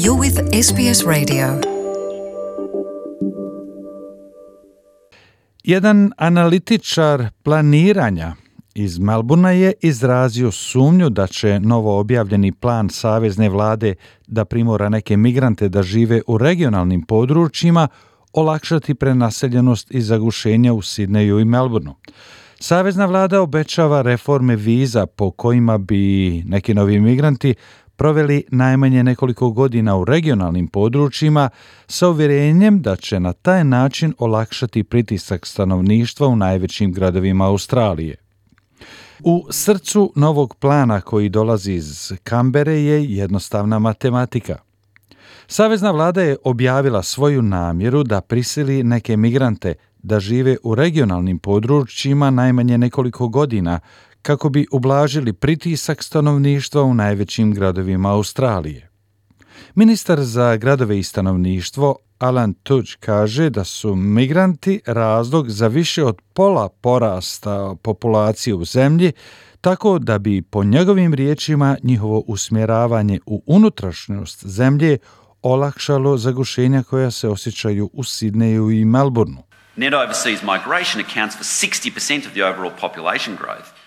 You're with SBS Radio. Jedan analitičar planiranja iz Melbournea je izrazio sumnju da će novo objavljeni plan savezne vlade da primora neke migrante da žive u regionalnim područjima olakšati prenaseljenost i zagušenja u Sidneju i Melbourneu. Savezna vlada obećava reforme viza po kojima bi neki novi migranti proveli najmanje nekoliko godina u regionalnim područjima sa uvjerenjem da će na taj način olakšati pritisak stanovništva u najvećim gradovima Australije. U srcu novog plana koji dolazi iz Kambere je jednostavna matematika. Savezna vlada je objavila svoju namjeru da prisili neke migrante da žive u regionalnim područjima najmanje nekoliko godina kako bi ublažili pritisak stanovništva u najvećim gradovima Australije. Ministar za gradove i stanovništvo Alan Tudge kaže da su migranti razlog za više od pola porasta populacije u zemlji, tako da bi po njegovim riječima njihovo usmjeravanje u unutrašnjost zemlje olakšalo zagušenja koja se osjećaju u Sidneju i Melbourneu. Net overseas migration accounts for 60% of the overall population growth.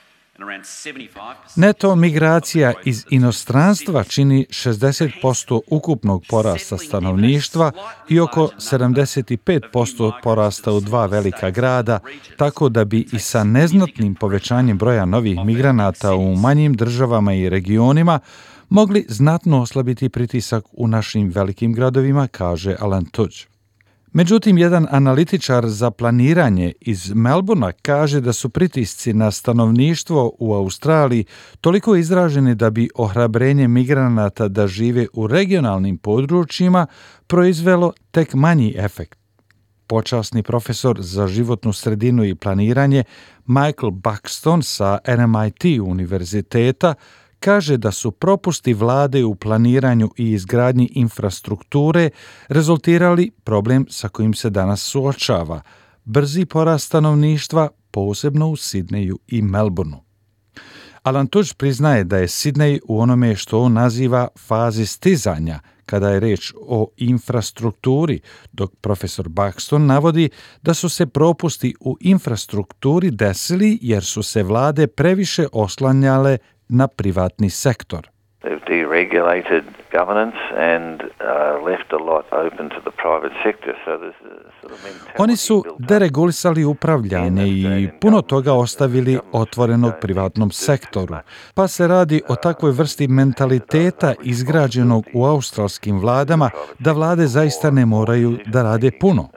Neto migracija iz inostranstva čini 60% ukupnog porasta stanovništva i oko 75% porasta u dva velika grada, tako da bi i sa neznatnim povećanjem broja novih migranata u manjim državama i regionima mogli znatno oslabiti pritisak u našim velikim gradovima, kaže Alan Tudge. Međutim, jedan analitičar za planiranje iz Melbournea kaže da su pritisci na stanovništvo u Australiji toliko izraženi da bi ohrabrenje migranata da žive u regionalnim područjima proizvelo tek manji efekt. Počasni profesor za životnu sredinu i planiranje Michael Buxton sa RMIT univerziteta kaže da su propusti vlade u planiranju i izgradnji infrastrukture rezultirali problem sa kojim se danas suočava, brzi porast stanovništva, posebno u Sidneju i Melbourneu. Alan Tudge priznaje da je Sidney u onome što on naziva fazi stizanja, kada je reč o infrastrukturi, dok profesor Buxton navodi da su se propusti u infrastrukturi desili jer su se vlade previše oslanjale na privatni sektor. They've deregulated governance and left a lot open to the private sector. So there's a sort of mentality. Oni su deregulisali upravljanje i puno toga ostavili otvorenog privatnom sektoru. Pa se radi o takvoj vrsti mentaliteta izgrađenog u australskim vladama da vlade zaista ne moraju da rade puno.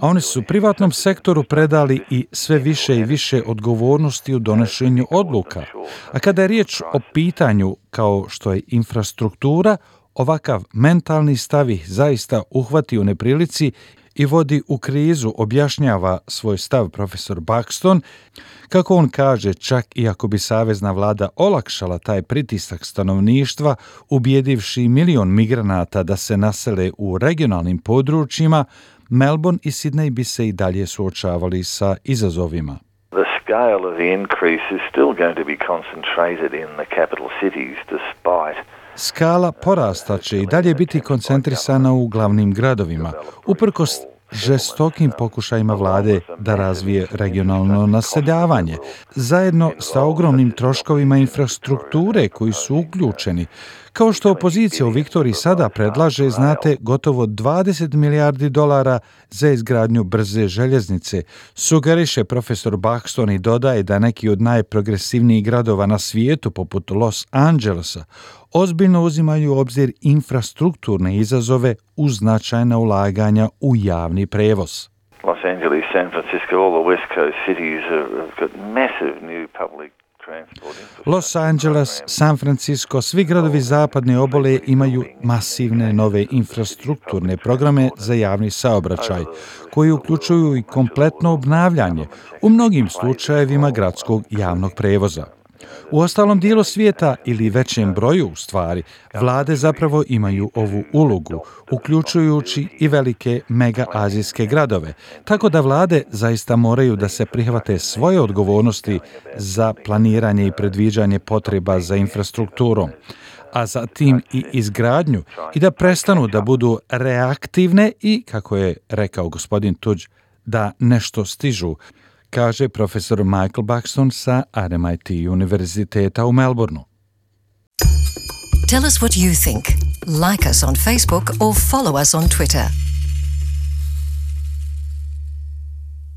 A oni su privatnom sektoru predali i sve više i više odgovornosti u donošenju odluka. A kada je riječ o pitanju kao što je infrastruktura, ovakav mentalni stav ih zaista uhvati u neprilici i vodi u krizu, objašnjava svoj stav profesor Buxton. Kako on kaže, čak i ako bi savezna vlada olakšala taj pritisak stanovništva, ubijedivši 1 milion migranata da se nasele u regionalnim područjima, Melbourne i Sydney bi se i dalje suočavali sa izazovima. The scale of the increase is still going to be concentrated in the capital cities despite Skala porasta će i dalje biti koncentrisana u glavnim gradovima, uprkos žestokim pokušajima vlade da razvije regionalno naseljavanje, zajedno sa ogromnim troškovima infrastrukture koji su uključeni. Kao što opozicija u Viktoriji sada predlaže, znate, gotovo 20 milijardi dolara za izgradnju brze željeznice, sugeriše profesor Buxton i dodaje da neki od najprogresivnijih gradova na svijetu, poput Los Angelesa, ozbiljno uzimaju u obzir infrastrukturne izazove uz značajna ulaganja u javni prevoz. Los Angeles, San Francisco, all the West Coast cities have got massive new public transport infrastructure. Los Angeles, San Francisco, svi gradovi zapadne obale imaju masivne nove infrastrukturne programe za javni saobraćaj, koji uključuju i kompletno obnavljanje, u mnogim slučajevima gradskog javnog prevoza. U ostalom dijelu svijeta ili većem broju u stvari, vlade zapravo imaju ovu ulogu, uključujući i velike mega-azijske gradove, tako da vlade zaista moraju da se prihvate svoje odgovornosti za planiranje i predviđanje potreba za infrastrukturom. a zatim i izgradnju i da prestanu da budu reaktivne i, kako je rekao gospodin Tudge, da nešto stižu, kaže profesor Michael Buxton sa RMIT univerziteta u Melbourneu. Tell us what you think. Like us on Facebook or follow us on Twitter.